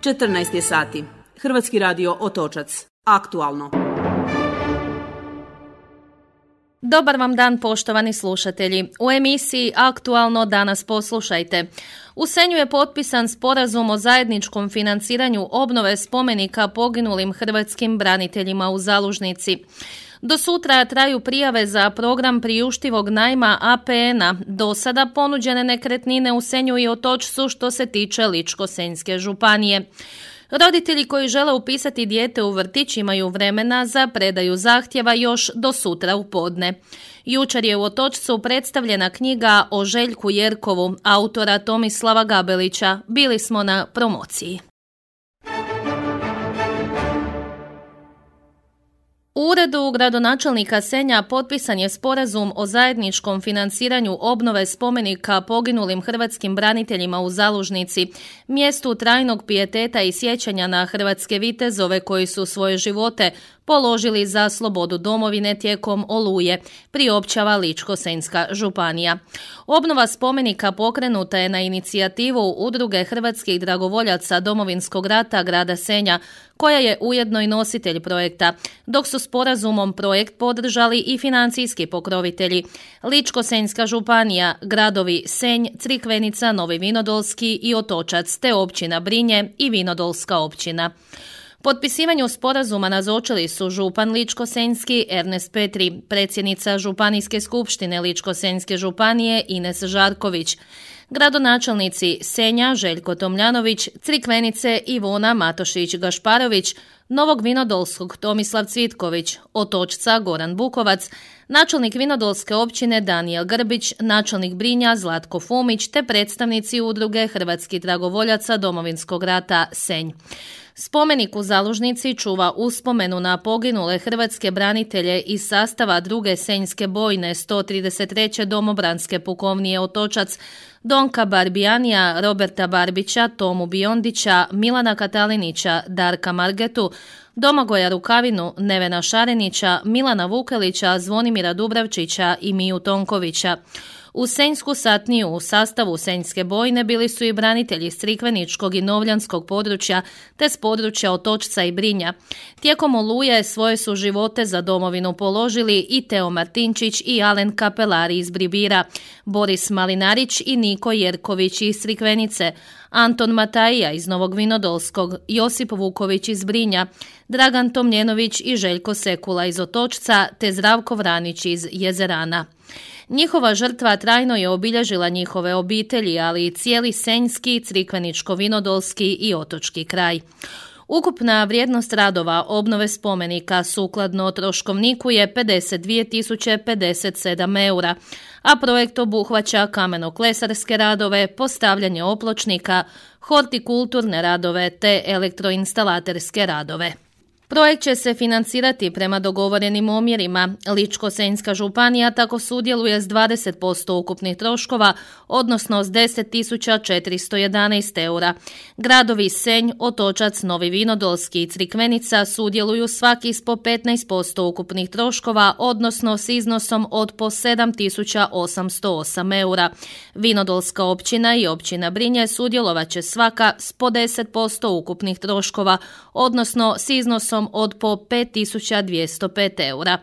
14 je sati. Hrvatski radio Otočac. Aktualno. Dobar vam dan, poštovani slušatelji. U emisiji Aktualno danas poslušajte. U Senju je potpisan sporazum o zajedničkom financiranju obnove spomenika poginulim hrvatskim braniteljima u Zalužnici. Do sutra traju prijave za program priuštivog najma APN-a. Do sada ponuđene nekretnine u Senju i Otočcu što se tiče Ličko-senjske županije. Roditelji koji žele upisati dijete u vrtić imaju vremena za predaju zahtjeva još do sutra u podne. Jučer je u Otočcu predstavljena knjiga o Željku Jerkovu, autora Tomislava Gabelića. Bili smo na promociji. U uredu gradonačelnika Senja potpisan je sporazum o zajedničkom financiranju obnove spomenika poginulim hrvatskim braniteljima u Zalužnici, mjestu trajnog pijeteta i sjećanja na hrvatske vitezove koji su svoje živote položili za slobodu domovine tijekom Oluje, priopćava Ličko-senjska županija. Obnova spomenika pokrenuta je na inicijativu Udruge hrvatskih dragovoljaca Domovinskog rata grada Senja, koja je ujedno i nositelj projekta, dok su sporazumom projekt podržali i financijski pokrovitelji Ličko-senjska županija, gradovi Senj, Crikvenica, Novi Vinodolski i Otočac, te općina Brinje i Vinodolska općina. Potpisivanju sporazuma nazočili su župan Ličko-senjski Ernest Petri, predsjednica Županijske skupštine Ličko-senjske županije Ines Žarković, gradonačelnici Senja Željko Tomljanović, Crikvenice Ivona Matošić-Gašparović, Novog Vinodolskog Tomislav Cvitković, Otočca Goran Bukovac, načelnik Vinodolske općine Danijel Grbić, načelnik Brinja Zlatko Fumić te predstavnici Udruge hrvatskih dragovoljaca Domovinskog rata Senj. Spomenik u Zalužnici čuva uspomenu na poginule hrvatske branitelje iz sastava druge senjske bojne 133. domobranske pukovnije Otočac, Donka Barbijanija, Roberta Barbića, Tomu Biondića, Milana Katalinića, Darka Margetu, Domagoja Rukavinu, Nevena Šarenića, Milana Vukelića, Zvonimira Dubravčića i Miju Tonkovića. U senjsku satniju u sastavu senjske bojne bili su i branitelji iz Crikveničkog i Novljanskog područja te s područja Otočca i Brinja. Tijekom Oluje svoje su živote za domovinu položili i Teo Martinčić i Alen Kapelari iz Bribira, Boris Malinarić i Niko Jerković iz Crikvenice, Anton Matajija iz Novog Vinodolskog, Josip Vuković iz Brinja, Dragan Tomljenović i Željko Sekula iz Otočca te Zdravko Vranić iz Jezerana. Njihova žrtva trajno je obilježila njihove obitelji, ali i cijeli senjski, crikveničko-vinodolski i otočki kraj. Ukupna vrijednost radova obnove spomenika sukladno troškovniku je 52.057 eura, a projekt obuhvaća kameno-klesarske radove, postavljanje opločnika, hortikulturne radove te elektroinstalaterske radove. Projekt će se financirati prema dogovorenim omjerima. Ličko-senjska županija tako sudjeluje s 20% ukupnih troškova, odnosno s 10.411 eura. Gradovi Senj, Otočac, Novi Vinodolski i Crikvenica sudjeluju svaki s po 15% ukupnih troškova, odnosno s iznosom od po 7.808 eura. Vinodolska općina i općina Brinje sudjelovat će svaka s po 10% ukupnih troškova, odnosno s iznosom od po 5.205 eura.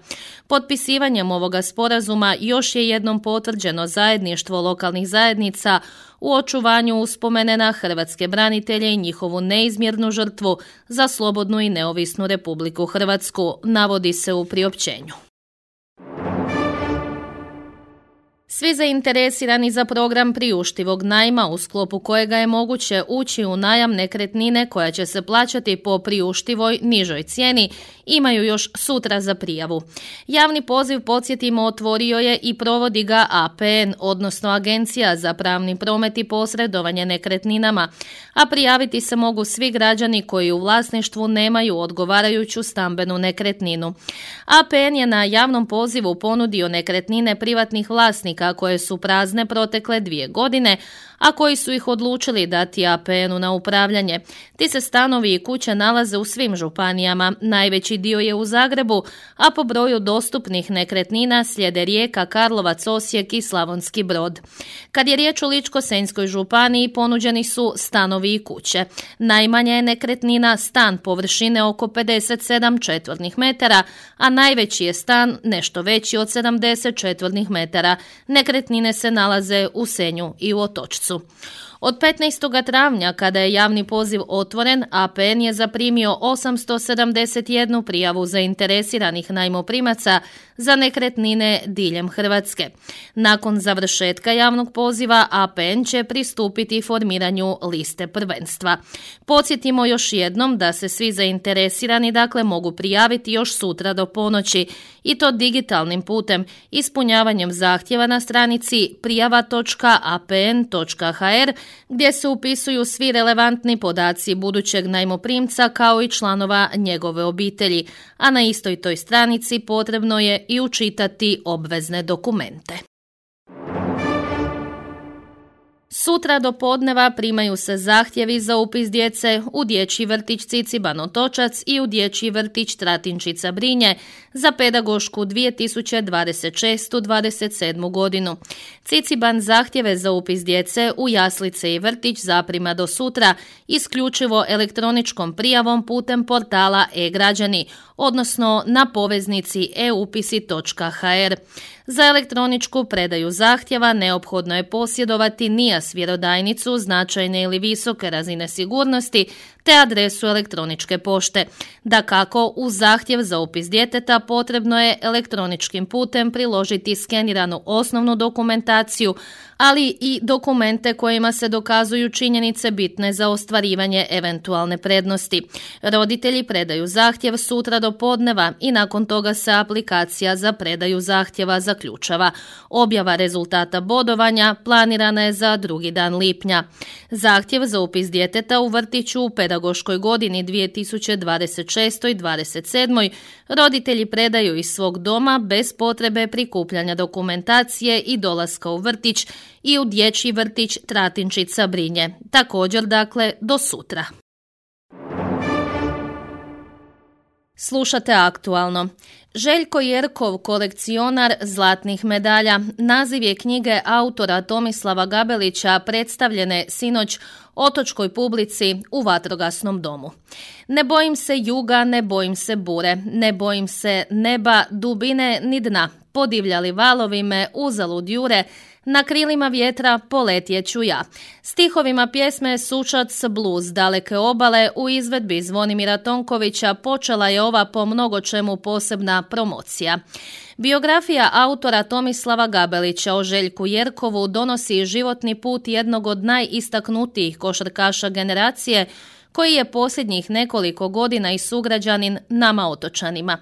Potpisivanjem ovoga sporazuma još je jednom potvrđeno zajedništvo lokalnih zajednica u očuvanju uspomene na hrvatske branitelje i njihovu neizmjernu žrtvu za slobodnu i neovisnu Republiku Hrvatsku, navodi se u priopćenju. Svi zainteresirani za program priuštivog najma u sklopu kojega je moguće ući u najam nekretnine koja će se plaćati po priuštivoj nižoj cijeni imaju još sutra za prijavu. Javni poziv, podsjetimo, otvorio je i provodi ga APN, odnosno Agencija za pravni promet i posredovanje nekretninama, a prijaviti se mogu svi građani koji u vlasništvu nemaju odgovarajuću stambenu nekretninu. APN je na javnom pozivu ponudio nekretnine privatnih vlasnika koje su prazne protekle 2 godine, a koji su ih odlučili dati APN-u na upravljanje. Ti se stanovi i kuće nalaze u svim županijama, najveći dio je u Zagrebu, a po broju dostupnih nekretnina slijede Rijeka, Karlovac, Osijek i Slavonski Brod. Kad je riječ o Ličko-senjskoj županiji, ponuđeni su stanovi i kuće. Najmanja je nekretnina stan površine oko 57 četvornih metara, a najveći je stan nešto veći od 70 četvornih metara. Nekretnine se nalaze u Senju i u Otočcu. Od 15. travnja, kada je javni poziv otvoren, APN je zaprimio 871 prijavu zainteresiranih najmoprimaca za nekretnine diljem Hrvatske. Nakon završetka javnog poziva, APN će pristupiti formiranju liste prvenstva. Podsjetimo još jednom da se svi zainteresirani mogu prijaviti još sutra do ponoći, i to digitalnim putem, ispunjavanjem zahtjeva na stranici prijava.apn.hr, gdje se upisuju svi relevantni podaci budućeg najmoprimca kao i članova njegove obitelji, a na istoj toj stranici potrebno je i učitati obvezne dokumente. Sutra do podneva primaju se zahtjevi za upis djece u dječji vrtić Ciciban Otočac i u dječji vrtić Tratinčica Brinje za pedagošku 2026-27 godinu. Ciciban zahtjeve za upis djece u jaslice i vrtić zaprima do sutra isključivo elektroničkom prijavom putem portala e-građani, odnosno na poveznici eupisi.hr. Za elektroničku predaju zahtjeva neophodno je posjedovati NIAS vjerodajnicu značajne ili visoke razine sigurnosti te adresu elektroničke pošte. Dakako, uz zahtjev za upis djeteta potrebno je elektroničkim putem priložiti skeniranu osnovnu dokumentaciju, ali i dokumente kojima se dokazuju činjenice bitne za ostvarivanje eventualne prednosti. Roditelji predaju zahtjev sutra do podneva i nakon toga se aplikacija za predaju zahtjeva zaključava. Objava rezultata bodovanja planirana je za 2. dan lipnja. Zahtjev za upis djeteta u vrtiću u pedagoškoj godini 2026. i 27. roditelji predaju iz svog doma bez potrebe prikupljanja dokumentacije i dolaska u vrtić i u dječji vrtić Tratinčica Brinje. Također, do sutra. Slušate Aktualno. Željko Jerkov, kolekcionar zlatnih medalja, naziv je knjige autora Tomislava Gabelića predstavljene sinoć otočkoj publici u vatrogasnom domu. Ne bojim se juga, ne bojim se bure, ne bojim se neba, dubine ni dna. Podivljali valovi me uzalud jure, na krilima vjetra poletjet ću ja. Stihovima pjesme Sučac bluz daleke obale u izvedbi Zvonimira Tonkovića počela je ova po mnogo čemu posebna promocija. Biografija autora Tomislava Gabelića o Željku Jerkovu donosi životni put jednog od najistaknutijih košarkaša generacije, koji je posljednjih nekoliko godina i sugrađanin nama otočanima.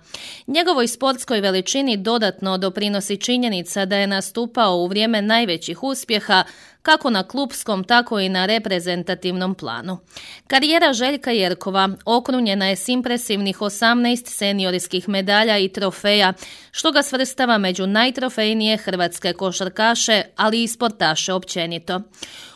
Njegovoj sportskoj veličini dodatno doprinosi činjenica da je nastupao u vrijeme najvećih uspjeha, kako na klupskom, tako i na reprezentativnom planu. Karijera Željka Jerkova okrunjena je s impresivnih 18 seniorskih medalja i trofeja, što ga svrstava među najtrofejnije hrvatske košarkaše, ali i sportaše općenito.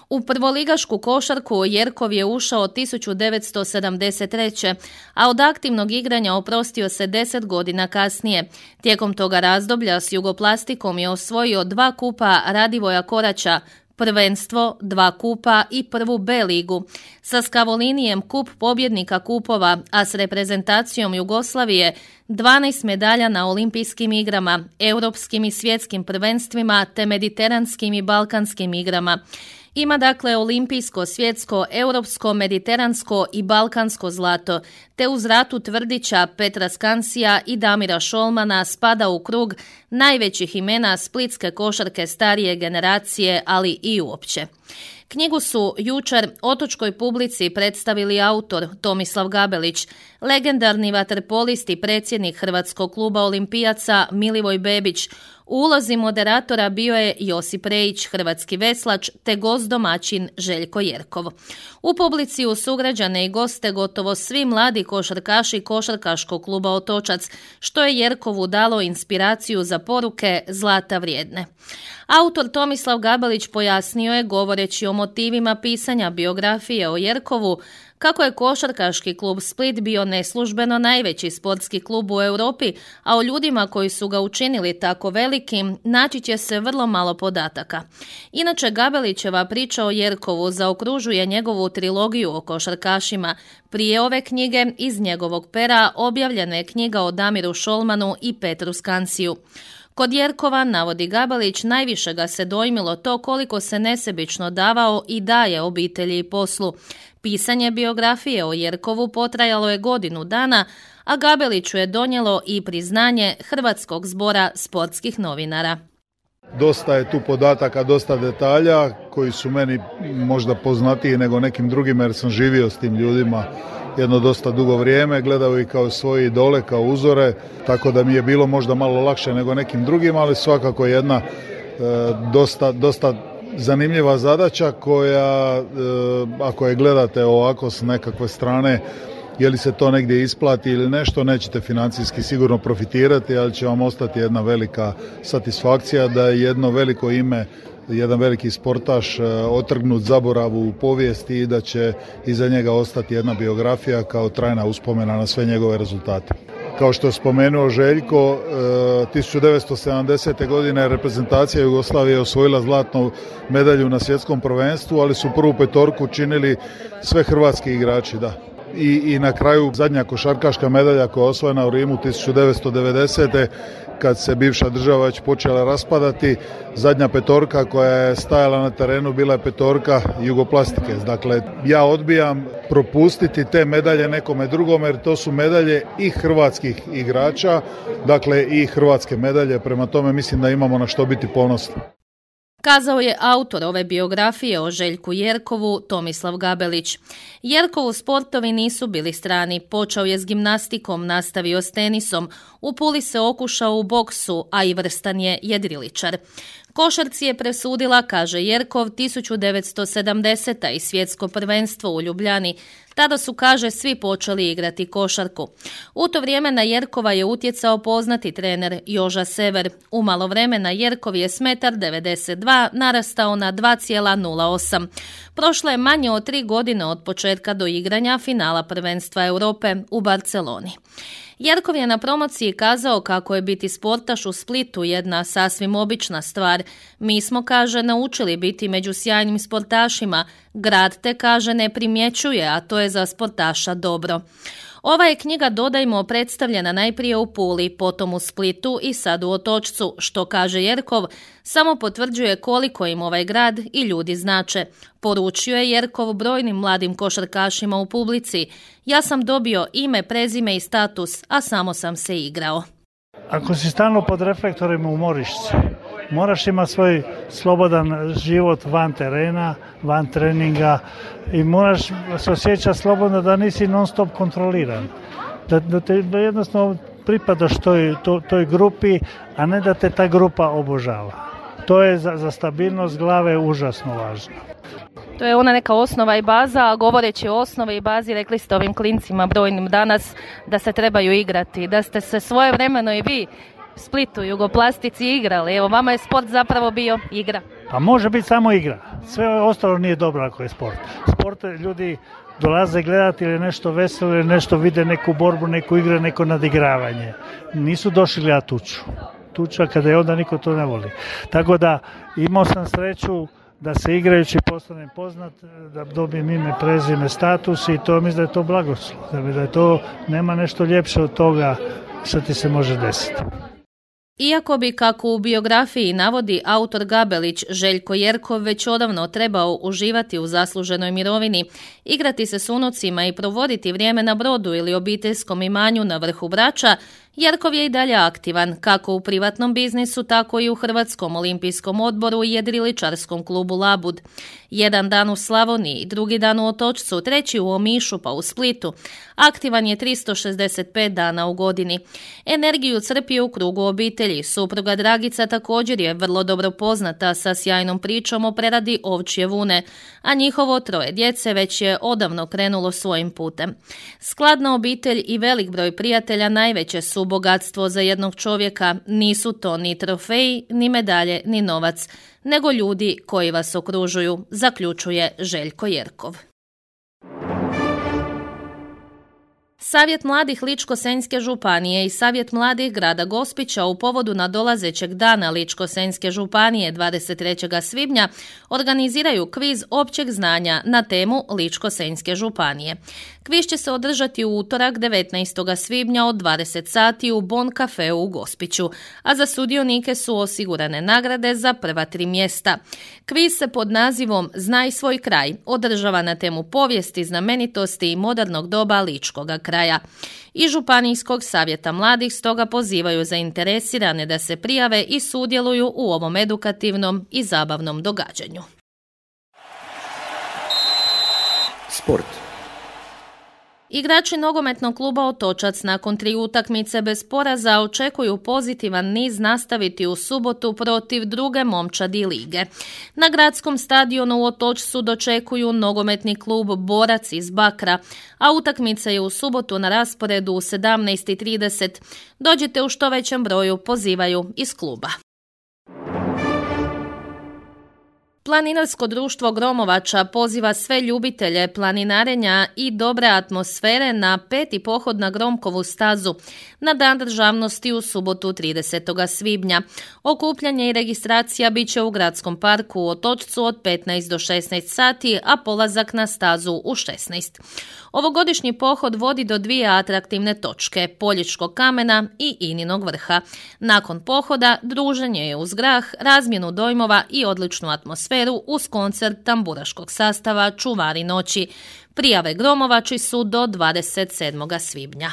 U prvoligašku košarku Jerkov je ušao 1973. a od aktivnog igranja oprostio se 10 godina kasnije. Tijekom toga razdoblja s Jugoplastikom je osvojio 2 kupa Radivoja Koraća, prvenstvo, 2 kupa i prvu B ligu. Sa Skavolinijem kup pobjednika kupova, a s reprezentacijom Jugoslavije 12 medalja na olimpijskim igrama, europskim i svjetskim prvenstvima te mediteranskim i balkanskim igrama. Ima olimpijsko, svjetsko, europsko, mediteransko i balkansko zlato, te uz Ratu Tvrdića, Petra Skansija i Damira Šolmana spada u krug najvećih imena splitske košarke starije generacije, ali i uopće. Knjigu su jučer otočkoj publici predstavili autor Tomislav Gabelić, legendarni vaterpolist i predsjednik Hrvatskog kluba olimpijaca Milivoj Bebić, U ulozi moderatora bio je Josip Rejić, hrvatski veslač, te gost domaćin Željko Jerkov. U publici uz sugrađane i goste gotovo svi mladi košarkaši Košarkaškog kluba Otočac, što je Jerkovu dalo inspiraciju za poruke zlata vrijedne. Autor Tomislav Gabelić pojasnio je, govoreći o motivima pisanja biografije o Jerkovu, kako je Košarkaški klub Split bio neslužbeno najveći sportski klub u Europi, a o ljudima koji su ga učinili tako velikim naći će se vrlo malo podataka. Inače, Gabelićeva priča o Jerkovu zaokružuje njegovu trilogiju o košarkašima. Prije ove knjige iz njegovog pera objavljena je knjiga o Damiru Šolmanu i Petru Skansiju. Kod Jerkova, navodi Gabelić, najviše ga se dojmilo to koliko se nesebično davao i daje obitelji i poslu. Pisanje biografije o Jerkovu potrajalo je godinu dana, a Gabeliću je donijelo i priznanje Hrvatskog zbora sportskih novinara. Dosta je tu podataka, dosta detalja koji su meni možda poznatiji nego nekim drugima jer sam živio s tim ljudima jedno dosta dugo vrijeme, gledao ih kao svoje idole, kao uzore, tako da mi je bilo možda malo lakše nego nekim drugima, ali svakako jedna dosta zanimljiva zadaća koja, ako je gledate ovako s nekakve strane, je li se to negdje isplati ili nešto, nećete financijski sigurno profitirati, ali će vam ostati jedna velika satisfakcija da je jedno veliko ime, jedan veliki sportaš otrgnut zaboravu u povijesti i da će iza njega ostati jedna biografija kao trajna uspomena na sve njegove rezultate. Kao što je spomenuo Željko, 1970. godine reprezentacija Jugoslavije osvojila zlatnu medalju na svjetskom prvenstvu, ali su prvu petorku činili sve hrvatski igrači, da. I na kraju zadnja košarkaška medalja koja je osvojena u Rimu 1990. kad se bivša država već počela raspadati, zadnja petorka koja je stajala na terenu bila je petorka Jugoplastike. Dakle, ja odbijam propustiti te medalje nekome drugome jer to su medalje i hrvatskih igrača, dakle i hrvatske medalje, prema tome mislim da imamo na što biti ponosni. Kazao je autor ove biografije o Željku Jerkovu, Tomislav Gabelić. Jerkovu sportovi nisu bili strani, počeo je s gimnastikom, nastavio s tenisom, u Puli se okušao u boksu, a i vrstan je jedriličar. Košarci je presudila, kaže Jerkov, 1970. i svjetsko prvenstvo u Ljubljani. Tada su, kaže, svi počeli igrati košarku. U to vrijeme na Jerkova je utjecao poznati trener Joža Sever. U malo vremena Jerkov je s 1,92 m narastao na 2,08. Prošlo je manje od 3 godine od početka do igranja finala prvenstva Europe u Barceloni. Jerkov je na promociji kazao kako je biti sportaš u Splitu jedna sasvim obična stvar. Mi smo, kaže, naučili biti među sjajnim sportašima. Grad te, kaže, ne primjećuje, a to je za sportaša dobro. Ova je knjiga, dodajmo, predstavljena najprije u Puli, potom u Splitu i sad u Otočcu, što, kaže Jerkov, samo potvrđuje koliko im ovaj grad i ljudi znače. Poručio je Jerkov brojnim mladim košarkašima u publici: ja sam dobio ime, prezime i status, a samo sam se igrao. Ako si stalno pod reflektorima, umoriš se. Moraš imati svoj slobodan život van terena, van treninga i moraš se osjećati slobodno da nisi non stop kontroliran. Da jednostavno pripadaš toj grupi, a ne da te ta grupa obožava. To je za stabilnost glave užasno važno. To je ona neka osnova i baza, a govoreći o osnovi i bazi, rekli ste ovim klincima brojnim danas da se trebaju igrati, da ste se svojevremeno i vi Splitu, Jugoplastici igrali. Evo, vama je sport zapravo bio igra. Pa može biti samo igra. Sve ostalo nije dobro ako je sport. Sport ljudi dolaze gledati ili nešto veselo, ili nešto vide, neku borbu, neku igru, neko nadigravanje. Nisu došli gledati tuču. Tuča kada je onda niko to ne voli. Tako da imao sam sreću da se igrajući postanem poznat, da dobijem ime, prezime, status i to mislim da je to blagoslov. Da je to, nema nešto ljepše od toga što ti se može desiti. Iako bi, kako u biografiji navodi autor Gabelić, Željko Jerkov već odavno trebao uživati u zasluženoj mirovini, igrati se s unucima i provoditi vrijeme na brodu ili obiteljskom imanju na vrhu Brača, Jerkov je i dalje aktivan, kako u privatnom biznisu, tako i u Hrvatskom olimpijskom odboru i jedriličarskom klubu Labud. Jedan dan u Slavoniji, drugi dan u Otočcu, treći u Omišu pa u Splitu. Aktivan je 365 dana u godini. Energiju crpi u krugu obitelji. Supruga Dragica također je vrlo dobro poznata sa sjajnom pričom o preradi ovčje vune, a njihovo 3 djece već je odavno krenulo svojim putem. Skladna obitelj i velik broj prijatelja najveće su bogatstvo za jednog čovjeka. Nisu to ni trofeji, ni medalje, ni novac, nego ljudi koji vas okružuju, zaključuje Željko Jerkov. Savjet mladih Ličko-senjske županije i Savjet mladih grada Gospića u povodu nadolazećeg dana Ličko-senjske županije 23. svibnja organiziraju kviz općeg znanja na temu Ličko-senjske županije. Kviz će se održati u utorak 19. svibnja od 20 sati u Bon Cafeu u Gospiću, a za sudionike su osigurane nagrade za prva 3 mjesta. Kviz se pod nazivom Znaj svoj kraj održava na temu povijesti, znamenitosti i modernog doba ličkoga kraja. I Županijskog savjeta mladih stoga pozivaju zainteresirane da se prijave i sudjeluju u ovom edukativnom i zabavnom događanju. Sport. Igrači nogometnog kluba Otočac nakon 3 utakmice bez poraza očekuju pozitivan niz nastaviti u subotu protiv druge momčadi lige. Na gradskom stadionu u Otočcu dočekuju nogometni klub Borac iz Bakra, a utakmica je u subotu na rasporedu u 17:30. Dođite u što većem broju, pozivaju iz kluba. Planinarsko društvo Gromovača poziva sve ljubitelje planinarenja i dobre atmosfere na 5. pohod na Gromkovu stazu na Dan državnosti u subotu 30. svibnja. Okupljanje i registracija bit će u gradskom parku u Otočcu od 15 do 16 sati, a polazak na stazu u 16. Ovogodišnji pohod vodi do 2 atraktivne točke, Poljičkog kamena i Ininog vrha. Nakon pohoda druženje je uz grah, razmjenu dojmova i odličnu atmosferu uz koncert tamburaškog sastava Čuvari noći. Prijave Gromovači su do 27. svibnja.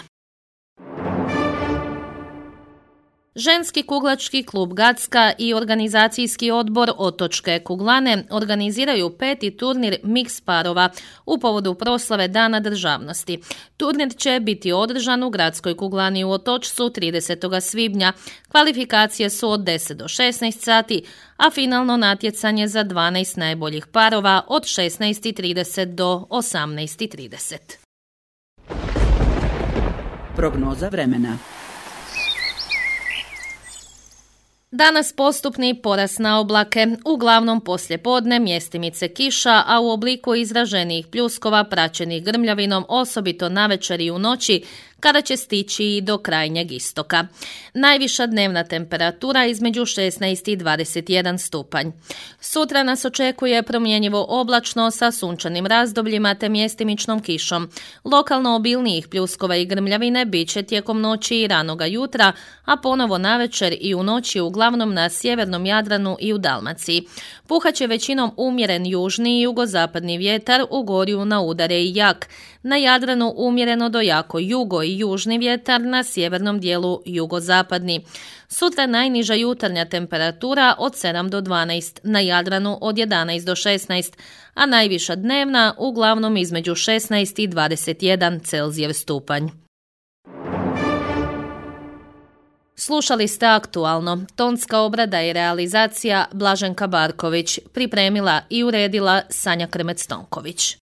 Ženski kuglački klub Gacka i organizacijski odbor Otočke kuglane organiziraju 5. turnir mix parova u povodu proslave Dana državnosti. Turnir će biti održan u gradskoj kuglani u Otočcu 30. svibnja. Kvalifikacije su od 10 do 16 sati, a finalno natjecanje za 12 najboljih parova od 16:30 do 18:30. Prognoza vremena. Danas postupni porast na oblake, uglavnom poslijepodne mjestimice kiša, a u obliku izraženijih pljuskova praćenih grmljavinom, osobito navečer i u noći, kada će stići i do krajnjeg istoka. Najviša dnevna temperatura između 16 i 21 stupanj. Sutra nas očekuje promjenjivo oblačno sa sunčanim razdobljima te mjestimičnom kišom. Lokalno obilnijih pljuskova i grmljavine bit će tijekom noći i ranoga jutra, a ponovo navečer i u noći uglavnom na sjevernom Jadranu i u Dalmaciji. Puhaće većinom umjeren južni i jugozapadni vjetar, u gorju na udare i jak. Na Jadranu umjereno do jako jugo i južni vjetar, na sjevernom dijelu jugozapadni. Sutra najniža jutarnja temperatura od 7 do 12, na Jadranu od 11 do 16, a najviša dnevna uglavnom između 16 i 21 Celzijev stupanj. Slušali ste Aktualno. Tonska obrada i realizacija Blaženka Barković, pripremila i uredila Sanja Krmec-Tonković.